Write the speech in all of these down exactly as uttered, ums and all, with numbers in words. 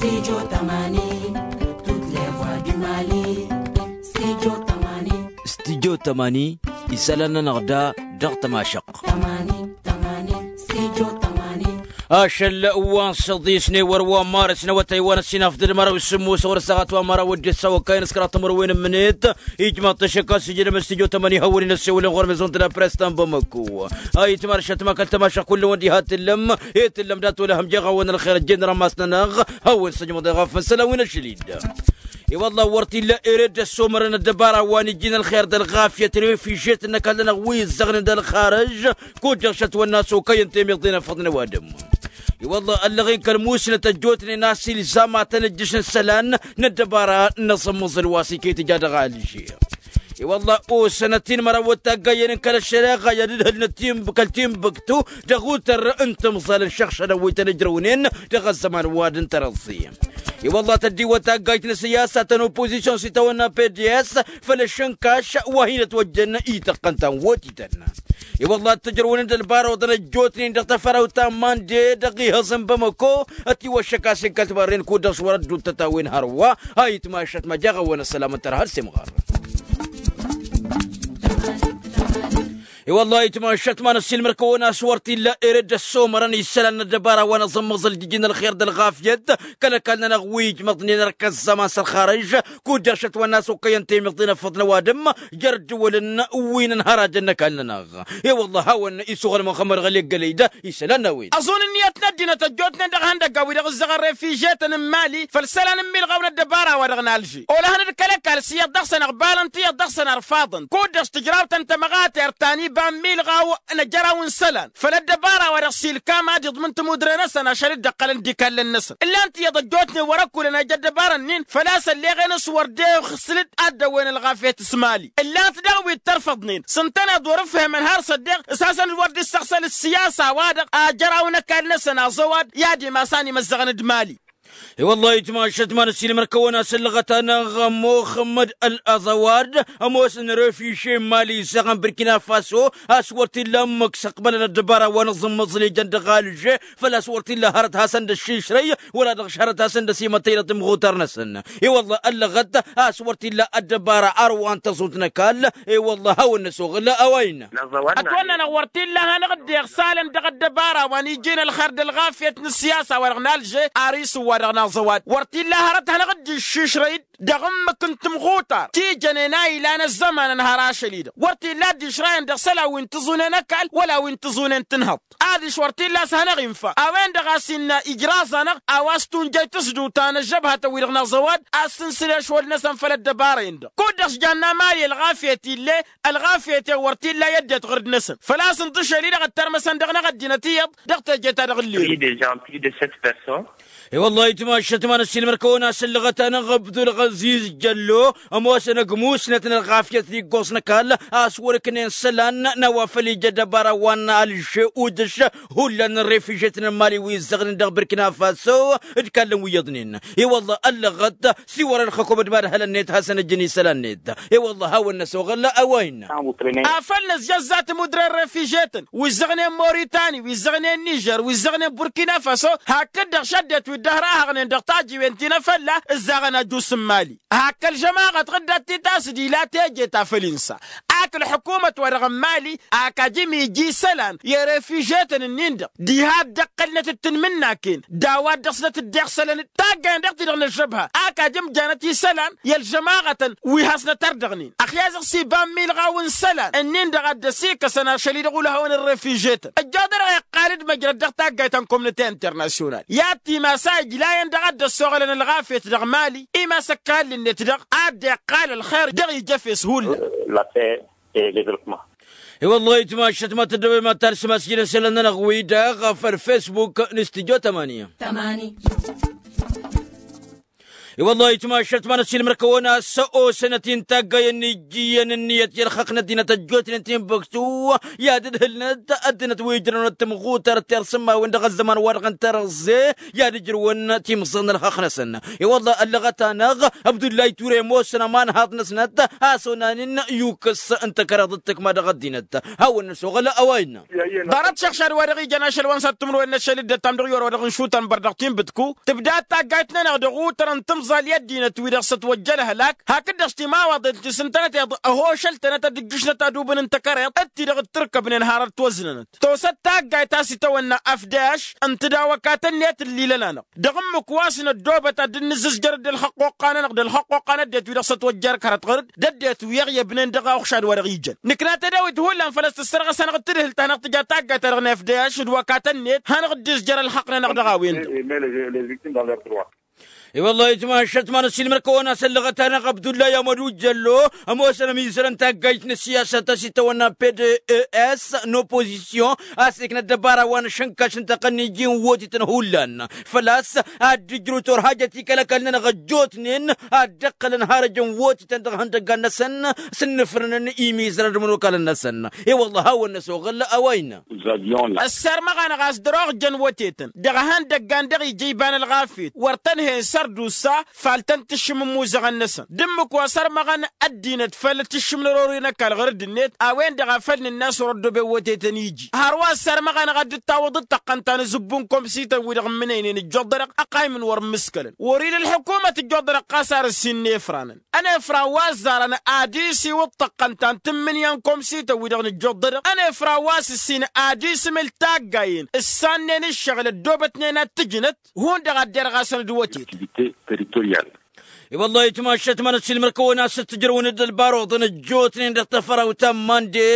Studio tămani, toutes les voix du Mali. Studio tămani. Studio tămani, isălan-nănăɣ da dăɣ-tămašăɣt. Tămani, tămani, studio tămani. Ašăl wa n-săḍis n-ewăr wa n-marăs n-awătay wa n-ăssinaf d-ălmăraw s-sǝmmos wăr-ăssaɣăt wa n-măraw d-ăssaw ăkayăn s-kăraḍ timǝrwen n-imǝnet. Ijmaḍ-t ašăk a-s ijǝdăm studio tămani hawăn-in-ăssewălăn ɣur-mezon tădapres ta n-bamăko. Ayǝtma ăršăt ma kăl-tămašăɣt kull-wăn diha tǝllăm. I-tǝllăm dat-wăla hăm jeɣ-awăn ălxer ăjjeen rămas-nănăɣ. Hawăn-săjmăḍ eɣaf n-isălan wi n-ašăl-dd. I-wălla wăr t-illa ere dd-ăssomărăn ăddăbara wa n-ijjin ălxer d-ălɣafyăt refižet n-ăkall-nănăɣ wi ǝzzăɣnen d-ălxarăž. Kud-dăɣ šătwănna s-okăyăn temiḍen ăffăḍnen ăwadǝm. I-wălla ăllăɣen kăl-musnăt ăjjootnen a-s ilzam ad-tăn-ǝjjǝš n-isălan n-ăddăbara n-aẓǝmmăẓǝl wa s-iket ija dăɣ-alžer. I-wălla osănăt-in măraw wăt-taggayăn n-kăl-ăššăreɣa i-ad-ǝdhǝlnăt kăl-timbǝktu dăɣ-utăr n-timẓal n-išăɣšădăn wi tăn-ǝjrăwnen dăɣ-ăzzăman wa d-ǝntărăẓẓi. I-wălla tăddiwăt taggayt n-asǝyyasa ta n-opozisyon s-itawănna pds făll-ašǝnkaš wa hin-ătwăjjăn ităqqăn ta n-wotităn. I-wălla ad-t-ǝjrăwnen d-ălbar oḍăn ăjjootnen dăɣ-tafărawt ta n-mande dăɣ-ihăẓ n-bamăko. Ătiwăššăk a-s inkăl timarren kud-dăɣ s-wăr-ădduuttăt a-wen hărwa. A itmašăt ma jaɣ-awăn ăssălam n-tărha ălsemɣar. I-wălla a itmašăt ma n-ăssiilmăr-kăwăn a-s wăr t-illa ere dd-ăssomărăn isălan n-ăddăbara wa n-aẓǝmmăẓǝl d-ijin ălxer d-ălɣafyăt kăl-ăkall-nănăɣ wi ijmăḍnen ărkăzzăman s-ălxarăž. Kud-dăɣ šătwănna a-s okăyăn temiḍen ăffăḍ n-ăwadǝm jer-ǝddǝwălăn wi n-ănhărajăn n-ăkall-nănăɣ. I-wălla hawăn-isuɣǝl mănxămăr ɣăleggălăy-dd isălan n-a-wen. Ăẓun ǝnniyăt n-ăddinăt ăjjootnen dăɣ-ihăndăggan wi-dăɣ ǝzzăɣăn refižetăn n-imali făll-isălan n-imilɣaw n-ăddăbara-wa-dăɣ n-alže. Olăhăn d-kăl-ăkall s-iyyăḍ dăɣ-săn ăɣbalăn tiyyăḍ dăɣ-săn ărfaḍăn kud-dăɣ s-tǝjraw-tăn tămăɣatert ta n-iba n-imilɣaw n-ejăraw n-isălan făll-ăddăbara-wa-dăɣ s-ilkam ad-iḍmǝn timudre-năsăn ašăl dd-ăqqălăn d-ikallăn-năsăn. Ǝllan-t iyyăḍ ăjjootnen wăr-ăkkulăn a ija ăddăbara-nin făl-a-s ălleɣen s-wăr dd-ixsǝl-dd ad-dd-ăwwen ălɣafyăt s-mali. Ǝllan-t daɣ wi t-ărfăḍnen s-ǝntăneḍ wăr-ǝfhǝmăn har s-ăddeɣ s-hasăn-dd wăr-dd-issăɣsăl ǝssiyasa-wa-dăɣ a jăraw n-ăkall-năsăn aẓăwad i-ad-imas a n-imăzzăɣăn d-mali. I-wăllah itmašăt ma n-ăssiilmăr-kăwăn a-s ǝllăɣăt-anăɣ ămoxămmăd ălăẓăwad ămoosăn refiže n-mali izzăɣăn burkina faso a-s wăr t-illa ǝmmǝk s-ăqbălăn ăddăbara wa n-aẓǝmmăẓǝl ijăn dăɣ-alže. Făl-a-s wăr t-illa hărăt hasăn-dd-ăššišrăy wăla dăɣ-s hărăt hasăn-dd-ăsimătăynăt imɣutar-năsăn. I-wăllah ăllăɣăt a-s wăr t-illa ăddăbara ar wa n-tăẓut n-ăkall. I-wăllah hawăn-năsoɣǝl a-wa innă. Ătwănn'-anăɣ wăr t-illa a hanăɣ-dd-iɣsalăn dăɣ-ăddăbara wa n-ijjǝyăn ălxer d-ălɣafyăt n-ǝssiyasa-wa-dăɣ n-alže. Ar isǝwwa dăɣ-naẓăwad wăr t-illa hărăt hanăɣ-dd-iššišrăy-dd dăɣ-ǝmmǝk n-timɣutar ti jănen a ilan ăzzăman ănhăr ašăl-i-dăɣ wăr t-illa a dd-išrayăn dăɣ-isălan wi n-tiẓunen ăkall wăla wi n-tiẓunen tǝnhăḍt. Adiš wăr t-illa a-s hanăɣ-infa a-wen-dăɣ a-s innă ijraẓ-anăɣ a-wa s-tunjăy tǝsdǝwt ta n-ăžžăbhătăn-wi-dăɣ n-aẓăwad a ǝssǝnsǝl ešwăl-năsăn făll-ăddăbara-en-dăɣ kud-dăɣ s-janna mali ălɣafyăt ill'-e. Ălɣafyăt-en wăr t-illa i-ăddinăt ɣur-dăɣ-năsăn făl-a-s ǝnta ašăl-i-dăɣ ăttărmăsăn dăɣ-năɣ ăddinăt iyyăḍ dăɣ-teje ta dăɣ-ǝlleru. Pris de gens pris de sept personnes. I-wăllah itmašăt ma n-ăssiilmăr-kăwăn a-s ǝllăɣăt-anăɣ ăbdulɣăziz jăllo ămoosăn ăgg musnăt n-ălɣafyăt d-iggoẓ n-ăkall a-s wăr-ǝknen isălan n-a-wa făl ija ăddăbara wa n-alže udǝš. Hullan n-refižetăn n-mali wi ǝzzăɣnen dăɣ-burkina faso d-ikallăn wi iyyăḍnen. I-wăllah ăllăɣăt s-iwărăn xăkom d-imadhălăn-net hasăn-ǝjǝn isălan-net. I-wăllah hawăn-năsoɣăl a-wa innă. Afăl năzjăzza timudre n-refižetăn wi ǝzzăɣnen moritani wi ǝzzăɣnen nižer wi ǝzzăɣnen burkina faso hakd-dăɣ šăddet wi dd-ăhrahăɣnen dăɣ-tajiwen ti n-afălla ǝzzaɣăn ajus n-mali. Hak kăl-žămaɣăt ɣǝddăt titasǝd ila teje ta făll-insa ak ălḥukumăt-wa-dăɣ n-mali ak ajǝm ija isălan i-refižetăn-ǝnnin-dăɣ diha dd-ăqqălnăt d-tanmǝnnaken d-a-wa dd-ăsnăt dd-iɣsălăn-dd taggayăn dăɣ-ti-dăɣ n-ăžžăbha ak ajǝm janăt isălan i-ălžămaɣătăn wi hasnăt ărdăɣnen ăxyazăɣ s-iba n-milɣaw n-isălan ǝnnin-dăɣ a dd-ăsikăsăn ašăl-i-dăɣ ulhăwăn n-refižetăn ăjjoḍănăɣ iqqal-dd măjrăd dăɣ-taggayt ta n-komnăte internasyonal i-ad-timas a ijlayăn dăɣ-a dd-ăssoɣălăn ălɣafyăt dăɣ-mali. Imas ăkall-net-dăɣ a dd-iqqal ălxer dăɣ-ijăfes hullan. La paix et le développement. I-wăllah itmašăt ma tăddăwem ad-talsăm asjǝn isălan-nănăɣ-wi-dăɣ făll-facebook n-studyo tămani. I-wăllah itmašăt ma n-ăssiilmăr-kăwăn a-s osănăt-in taggayen n-ijjǝyăn ǝnniyăt i-ălxăqq n-ăddinăt ăjjootnen ti n-băktu i-ad-ǝdhǝlnăt ăddinăt wi ǝjrăwnăt tǝmɣutărt tersǝmmawen dăɣ-ăzzăman-wa-dăɣ n-terăẓẓe i-ad-ǝjrǝwăn timẓal n-ălxăqq-năsăn. I-wăllah ăllăɣăt-anăɣ abdullay ture ămoosăn aman n-haḍt-năsnăt a-s onanen yukǝs n-takăreḍ d-tǝkma dăɣ-ăddinăt. Hawăn-năsoɣăl a-wa innă. Ḍarăt šăɣšad wa dăɣ-ijăn ašăl wa n-săr-tǝmrǝwen n-ašăl dd-ăttam dăɣ-iwăr wa dăɣ-nšutăn bărdăɣ ti n-bǝtku tǝbda taggayt-nănăɣ dăɣ-utăr n-timẓal i-ăddinăt wi-dăɣ s-ătwăjja ălhălak hakd-dăɣ s-timawăḍen ti s-ǝntănăt iḍ ăhošăl-tănăt ad-ǝjjǝšnăt adubǝn n-takăreḍt d-ti-dăɣ dd-tǝrkăbnen har ăttwăznănăt. Tosăt taggayt a-s itawănna afdaš n-tǝdawăkatăn-net ǝllilăn-anăɣ dăɣ-ǝmmǝk wa s-năddoobăt ad-dd-nǝzzǝzjăr d-ălxăqq oqqa-nănăɣ d-ălxăqq oqqa n-ăddinăt wi-dăɣ s-ătwăjja ărkărăt ɣăr-dd d-ăddinăt wi ăɣyăbnen dăɣ-aɣšad wa dăɣ-ijăn nǝkna tedawit hullan făl ăssăssărɣăs-anăɣ d-tǝdhǝlt-anăɣ tǝja taggayt-ta-dăɣ n-afdaš d-wakatăn-net hanăɣ-dd-izjăr ălxăqq-nănăɣ dăɣ-a-wen-dăɣ. I-wăllah itmašăt ma n-ăssiilmăr-kăwăn a-s ăllăɣăt-anăɣ abdullay amădu jăllo ămoosăn ămizărăn taggayt n-ăssiyasăt a-s itawănna pds n-opozisyon a-s ikna ăddăbara wa n-ašǝnkaš n-tăqqăn n-iji n-wotităn hullan făl-a-s ad-dd-ǝjrǝw torhajăt i-kăl-ăkall-nănăɣ ăjjootnen ad-dd-ăqqălăn har ăjăn wotităn dăɣ-ihăndăggan-năsăn s-ǝnnǝfrǝnăn imizărăn d-imănokalăn-năsăn. I-wăllah hawăn-năsoɣăl a-wa innă. Ăssărmăɣ-anăɣ a-s dăr-oɣ jăn wătetăn dăɣ-ihăndăggan dăɣ-ija iba n-ălɣafyăt wăr tăn-hen sărdusa fal tăn-tǝššǝm ǝmmuzăɣăn-năsăn d-ǝmmǝk wa sărmăɣăn ăddinăt făll-tǝššǝm n-ărori n-ăkall ɣur-dd-net a-wen-dăɣ a făl nǝnna a-s wăr-ăddooben wătetăn iji. Hărwa ăssărmăɣ-anăɣ ad-dd-tawǝḍ d-tăqqăn ta n-azǝbbu n-komsităn-wi-dăɣ ǝmmǝnăynen ǝjjoḍ-dăɣ ăqqaymǝn wăr ǝmmǝskălăn wăr-ila ălḥukumăt ǝjjoḍ-dăɣ ɣas ar ǝssin n-efranăn ănefran wa ăzzarăn ad-isiwǝḍ tăqqăn-ta n-tǝmmǝnǝya n-komsităn-wi-dăɣ nǝjjoḍ-dăɣ ănefran wa s-ǝssin ad-isǝmǝl taggayen ǝssannen ǝššăɣǝl ăddoobătnen ad-tǝjnăt hundăɣ ad-derɣasăn d-wătet. I-wăllah itmašăt ma n-ăssiilmăr-kăwăn a-s t-ǝjrăwăn-dd ălbaruḍăn ăjjootnen dăɣ-tafărawt ta n-mande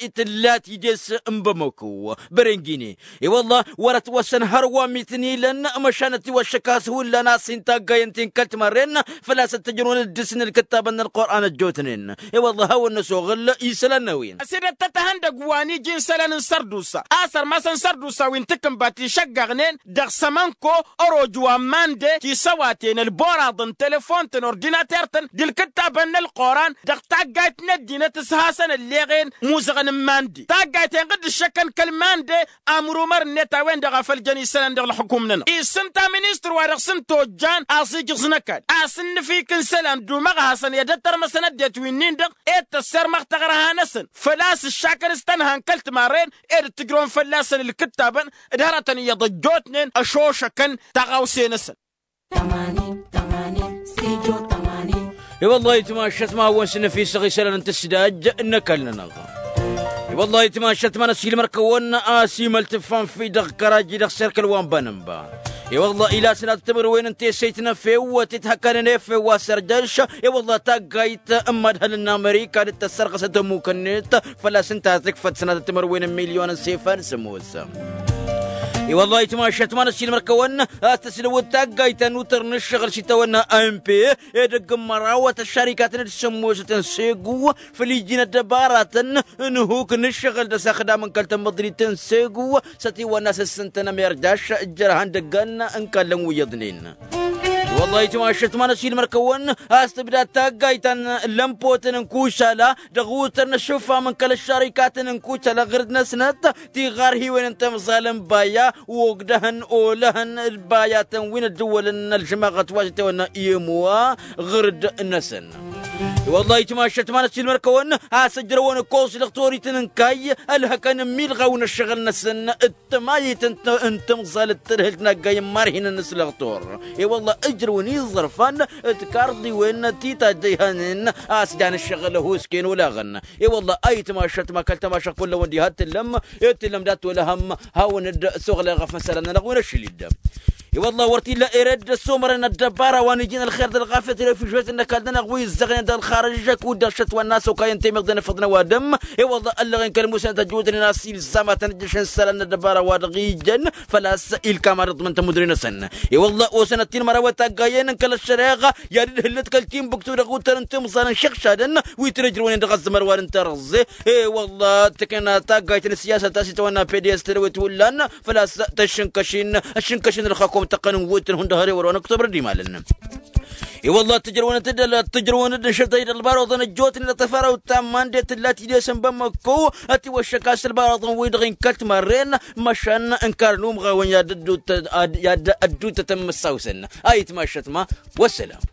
i-tǝlla tides n-bamăko bărengine. I-wăllah wăr-ătwăssăn hărwa mi tǝnilăn măšan ătiwăššăk a-s hullan a-s intaggayen ti n-kăl-timarren făl-a-s ăttăjrăwăn dd-dăr-săn ǝlkǝttabăn n-ălqur'an ăjjootnen. I-wăllah hawăn-năsoɣăl isălan n-a-wen. Ăsidăt tăt-ihăndăgg wa n-iji n-isălan n-sărdusa a-s ărmasăn sărdusa wi n-takǝnba ti šăggăɣnen dăɣ-sămănko ăroj wa n-mande tisăwaten ălboraḍăn telefontăn ordinater-tăn d-ǝlkǝttabăn n-ălqur'an dăɣ-taggayt n-ăddinăt s-hasăn ălleɣen muzăɣăn n-mande taggayt-en ɣǝdd-ǝššăkăn kăl-mande. Amrumăr-net a-wen-dăɣ a făl jăn isălan dăɣ-ălxukum-nănăɣ isǝnta ministăr wa dăɣ-s n-tojjan aẓ-ijǝẓ n-ăkall a-s ǝnnǝfik n-isălan d-umăɣhasăn i-ad-ăttărmăsăn ăddinăt wi-nin-dăɣ ed tăssărmăɣ taɣărha-năsăn făl-a-s ǝššakăn s-tănhan kăl-timarren ed ǝttǝjrăwăn fălla-săn ǝlkǝttabăn d-hărătăn iyyăḍ ăjjootnen ăšošăkăn taɣawse-năsăn. I-wăllah itmašăt ma hawăn-sǝnnăfisăɣ isălan n-tǝsdaj n-ăkall-nănăɣ. I-wăllah itmašăt ma n-ăsiilmăr-kăwăn a-s imăl tǝffan fi dăɣ-kăraji dăɣ-serkăl wa n-banănba. I-wăllah ila sănatăt timǝrwen n-tesăyt n-efew wa tǝthăkanen efew wa sărjăš. I-wăllah taggayt n-madhăl n-amerika d-tăssărɣăsăt ămmuk-net făl-a-s ǝnta a tǝkfăt sănatăt timǝrwen n-milyon n-sefan s-ămoos. I-wăllah itmašăt ma n-ăsiilmăr-kăwăn a-s tăslăwăd taggayt ta n-utăr n-ǝššăɣǝl s-itawănna a n p edăgg n-mărawăt ăššarikaten d-sămmosăt n-segu făll-iji n-ăddăbaratăn n-huk n-ǝššăɣǝl d-asăxdam n-kăl-tămmăḍrit n-segu s-ătiwănna s-ǝssǝntăn ămerjaš. Jărhan dăgg-an n-kallăn wi iyyăḍnen. I-wăllah itmašăt ma n-ăsiilmăr-kăwăn a-s tǝbda taggayt ta n-lămpotăn n-kušala dăɣ-utăr n-ăššufam n-kăl-ăššarikaten n-kušala ɣǝrǝd-năsnăt tiɣarhiwen n-timẓal n-baya ogdăhăn olăhăn d-bayatăn wi n-ăddǝwwălăn n-ălžămaɣăt wa s-itawănna i-ămoa ɣǝrǝd-năsăn. I-wăllah itmašăt ma n-ăsiilmăr-kăwăn a-s ǝjrăwăn ǝkkoẓ dăɣ-torităn n-kayy ălhăkăn ămmilɣaw n-ăššăɣǝl-năsăn d-tămayit n-timẓal d-tadhǝlt n-aggay n-imarhinăn n-asǝlăɣtor. I-wăllah ǝjrăwăn iẓărfan d-tikarḍiwen ti tajjăyhanen a-s jan ǝššăɣǝl ăhusken olaɣăn. I-wăllah a itmašăt ma kăl-tamašăɣt kullăwăn diha t-tǝllăm i-t-tǝllăm dat-olăhăm. Hawăn-dd-soɣlăy ɣef isălan-nănăɣ wi n-ašăl-i-dd. I-wăllah wăr t-illa ered ăssumărăn ăddăbara wa n-ijin ălxer d-ălɣafyăt refujiyotăn n-ăkall-nănăɣ wi ǝzzăɣnen dăɣ-ălxarăžžăk uddeɣ šătwa n-asokayăn temǝḍen ăffăḍnen ăwadǝm. I-wăllah ăllăɣen kăl-musăn tăjjutnen a-s ilzam ad-tăn-ǝjjăšăn isălan n-ăddăbara wa dăɣ-ijăn făl-a-s ilkam ad-ǝḍmǝn tămudre-năsăn. I-wăllah osănăt-in mărawăt taggayen n-kăl-ăššăreɣa i-ad-ǝdhǝllăt kăl-tinbǝktu dăɣ-utăr n-timẓal n-išǝɣšadăn wi tăn-ǝjrăwnen dăɣ-ăzzăman wa n-terăẓẓe. I-wăllah tǝkna taggayt n-ăssiyasăt ta s-itawănna pds tădăwet hullan făl-a-s tăššǝnkăšin ăššǝnkăšin ălxakum tăqqăn n-wutǝn hundăɣ ărewăr wa n-ăktobăr d-imalăn. I-wălla ad-tǝjrăwăn-dd ad-tǝjrăwăn-dd ǝnšăl tăjjăd ălbaraḍăn ăjjootnen ad-tăfărawăt ta n-iman d-e-tǝlla tidesăn bămmăkko ad-t-iwăššăk a-s ălbaraḍăn-wi-dăɣ inkăl timărren. Măšan ǝnkar n-umɣawăn i-ad-ădduutătăn măssawsăn. A itmašăt ma. Wăssălam.